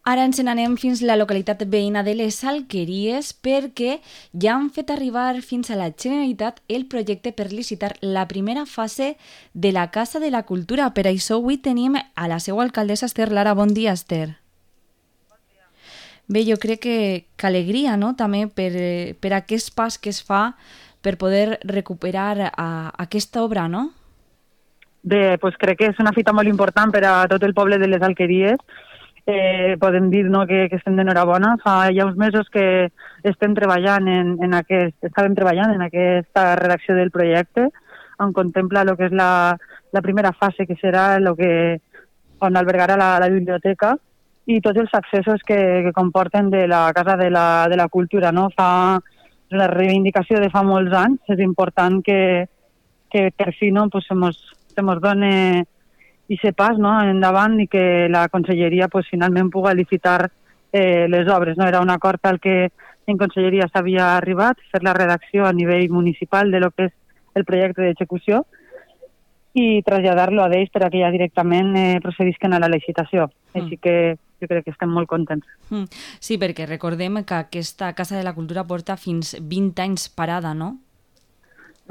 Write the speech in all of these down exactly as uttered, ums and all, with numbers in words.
Ara ens n'anem fins a la localitat veïna de les Alqueries perquè ja han fet arribar fins a la Generalitat el projecte per licitar la primera fase de la Casa de la Cultura. Per això avui tenim a la seva alcaldessa Esther Lara. Bon dia, Esther. Bon dia. Bé, jo crec que, que alegria, no?, també per, per aquest pas que es fa per poder recuperar a, aquesta obra, no? Bé, doncs crec que és una fita molt important per a tot el poble de les Alqueries. Eh, podem dir, no, que, que estem d'enhorabona. Fa ja uns mesos que estem treballant en, en aquest, estàvem treballant en aquesta redacció del projecte, on contempla el que és la, la primera fase, que serà lo que, on albergarà la, la biblioteca i tots els accessos que, que comporten de la Casa de la, de la Cultura, no? Fa una reivindicació de fa molts anys. És important que, que per fi, no, pues, se mos, se mos done i se pas, no, endavant, i que la Conselleria pues, finalment pugui licitar eh, les obres. No? Era un acord al que en Conselleria s'havia arribat, fer la redacció a nivell municipal de lo que és el projecte d'execució i traslladar-lo a d'ells per a que ja directament eh, procedisquen a la licitació. Mm. Així que jo crec que estem molt contents. Mm. Sí, perquè recordem que aquesta Casa de la Cultura porta fins vint anys parada, no?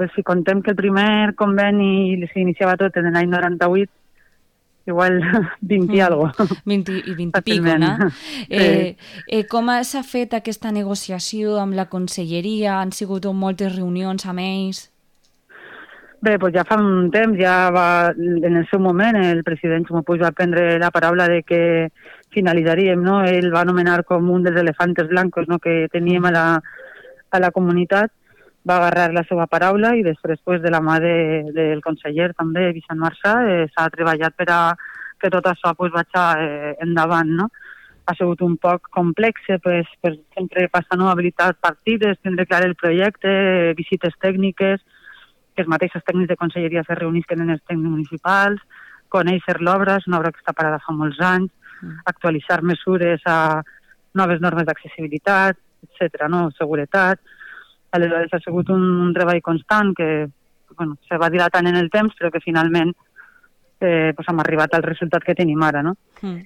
Pues si contem que el primer conveni s'iniciava tot en l'any noranta-vuit, igual vint i mm. algo. vint i vint i pico, no? Eh, eh, com s'ha fet aquesta negociació amb la Conselleria? Han sigut moltes reunions amb ells? Bé, doncs ja fa un temps, ja va, en el seu moment, el president Ximo Puig va prendre la paraula de que finalitzaríem, no? Ell va anomenar com un dels elefantes blancos, no?, que teníem a la, a la comunitat, va agarrar la seva paraula i després pues, de la mà de, del conseller també, Vicent Marçà, eh, s'ha treballat per a que tot això pues, vagi eh, endavant, no? Ha sigut un poc complex, pues, per sempre passar, no?, habilitar partides, tindre clar el projecte, visites tècniques, que els mateixos tècnics de conselleria se reunisquen en els tècnics municipals, conèixer l'obra, és una obra que està parada fa molts anys, mm. actualitzar mesures a noves normes d'accessibilitat, etcètera, no?, seguretat. Aleshores ha sigut un, un treball constant que bueno, se va dilatant en el temps, però que finalment eh, pues hem arribat al resultat que tenim ara, no? Mm.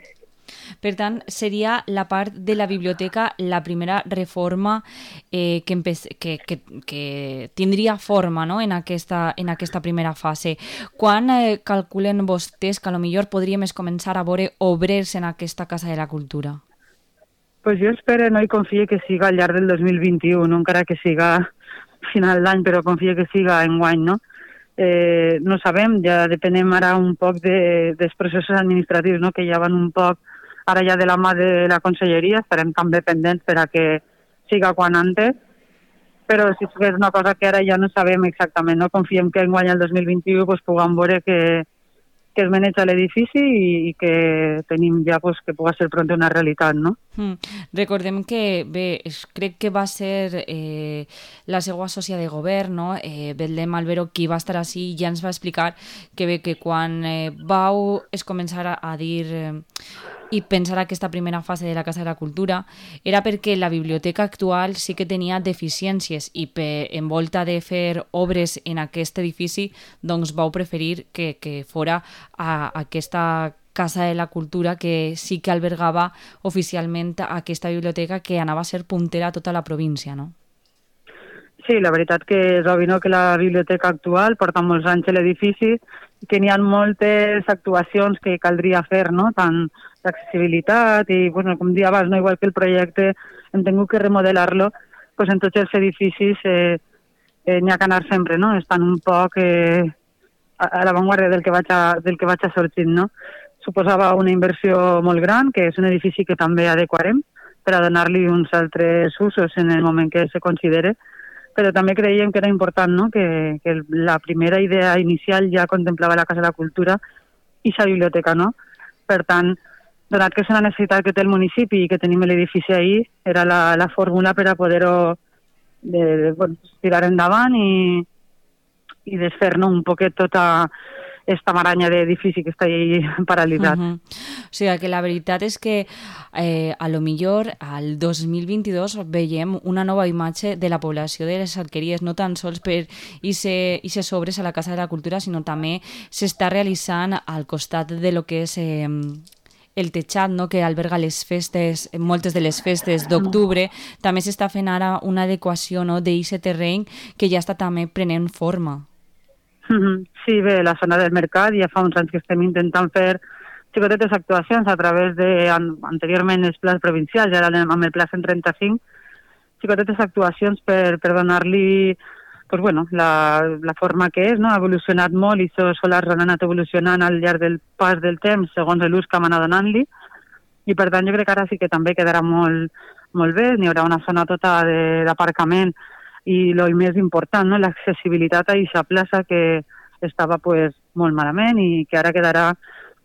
Per tant, seria la part de la biblioteca la primera reforma eh, que, que, que, que tindria forma, no?, en, aquesta, en aquesta primera fase. Quan eh, calculen vostès que potser podríem començar a veure obrers en aquesta Casa de la Cultura? Pues jo espero, no, i confio que siga al llarg del dos mil vint-i-u, no encara que siga final d'any, però confio que siga enguany, no? Eh, no sabem, ja depenem ara un poc de, dels processos administratius, no?, que ja van un poc ara ja de la mà de la Conselleria, estarem també pendents per a que siga quan antes, però si és una cosa que ara ja no sabem exactament, no? Confiem que enguany el dos mil vint-i-u pues, puguem veure que que es maneja l'edifici i, i que tenim ja pues, que pugui ser pront una realitat, no? Mm. Recordem que, bé, crec que va ser eh, la seva sòcia de govern, no?, eh, Betlem Albero, qui va estar així i ja ens va explicar que bé, que quan eh, vau es començar a, a dir eh, i pensar aquesta primera fase de la Casa de la Cultura era perquè la biblioteca actual sí que tenia deficiències i per, en volta de fer obres en aquest edifici doncs vau preferir que, que fora a aquesta Casa de la Cultura que sí que albergava oficialment aquesta biblioteca que anava a ser puntera a tota la província, no? Sí, la veritat que és obvi, no?, que la biblioteca actual porta molts anys a l'edifici i que n'hi ha moltes actuacions que caldria fer, no?, tant d'accessibilitat i, bueno, com dia abans, no?, igual que el projecte hem tingut que remodelar-lo, pues en tots els edificis eh, eh, n'hi ha que anar sempre, no?, estan un poc eh, a, a l'avantguarda del que vaig a, del que vaig a sortint, no? Suposava una inversió molt gran, que és un edifici que també adequarem per a donar-li uns altres usos en el moment que se considere, però també creiem que era important, no?, que, que la primera idea inicial ja contemplava la Casa de la Cultura i la biblioteca, no? Per tant, donat que és una necessitat que té el municipi i que tenim l'edifici ahí, era la, la fórmula per a poder-ho de, de, bueno, tirar endavant i, i desfer, no?, un poquet tota esta maranya d'edifici que està ahí paralitzat. Uh-huh. O sigui que la veritat és que eh, a lo millor al dos mil vint-i-dos veiem una nova imatge de la població de les Alqueries, no tan sols per aquestes obres a la Casa de la Cultura, sinó també s'està realitzant al costat de lo que és eh, el teixat, no?, que alberga les festes, moltes de les festes d'octubre, també s'està fent ara una adequació, no?, d'aquest terreny que ja està també prenent forma. Sí, bé, la zona del mercat ja fa uns anys que estem intentant fer xicotetes actuacions a través de, anteriorment els plans provincials, ara amb el pla cent trenta-cinc, xicotetes actuacions per, per donar-li pues bueno, la, la forma que és, no? Ha evolucionat molt i els solars han anat evolucionant al llarg del pas del temps segons l'ús que hem anat donant-li, i per tant jo crec que ara sí que també quedarà molt, molt bé, n'hi haurà una zona tota d'aparcament i el més important, no? L'accessibilitat a aquesta plaça que estava pues, molt malament i que ara quedarà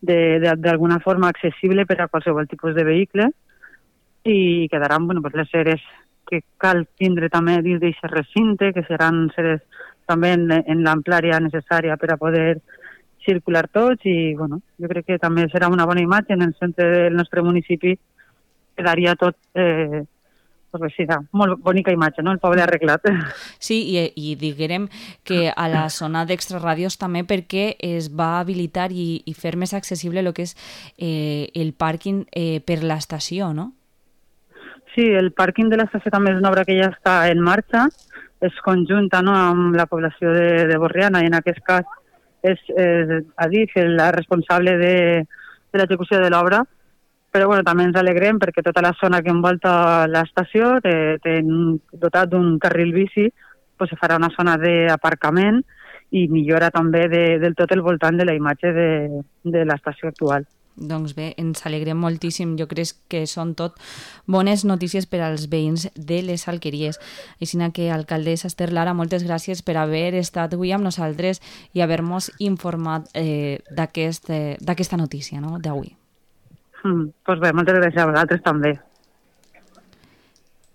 d'alguna forma accessible per a qualsevol tipus de vehicle i quedaran bueno, pues, les seres que cal tindre també dins d'aquest recinte, que seran seres també en, en l'amplària necessària per a poder circular tots i bueno, jo crec que també serà una bona imatge en el centre del nostre municipi, quedaria tot eh, pues sí, molt bonica imatge, no? El poble arreglat. Sí, i, i diguem que a la zona d'extraràdios també perquè es va habilitar i, i fer més accessible el que és eh, el pàrquing eh, per l'estació, no? Sí, el pàrquing de l'estació també és una obra que ja està en marxa, es conjunta, no?, amb la població de, de Borriana i en aquest cas és eh, Adif la responsable de, de l'execució de l'obra, però bueno, també ens alegrem perquè tota la zona que envolta l'estació té, té dotat d'un carril bici, pues, se farà una zona d'aparcament i millora també de, del tot el voltant de la imatge de, de l'estació actual. Doncs bé, ens alegrem moltíssim. Jo crec que són tot bones notícies per als veïns de les Alqueries. Així que, alcaldessa Ester Lara, moltes gràcies per haver estat avui amb nosaltres i haver-nos informat eh, d'aquesta notícia, no?, d'avui. Mm, doncs bé, moltes gràcies a vosaltres també.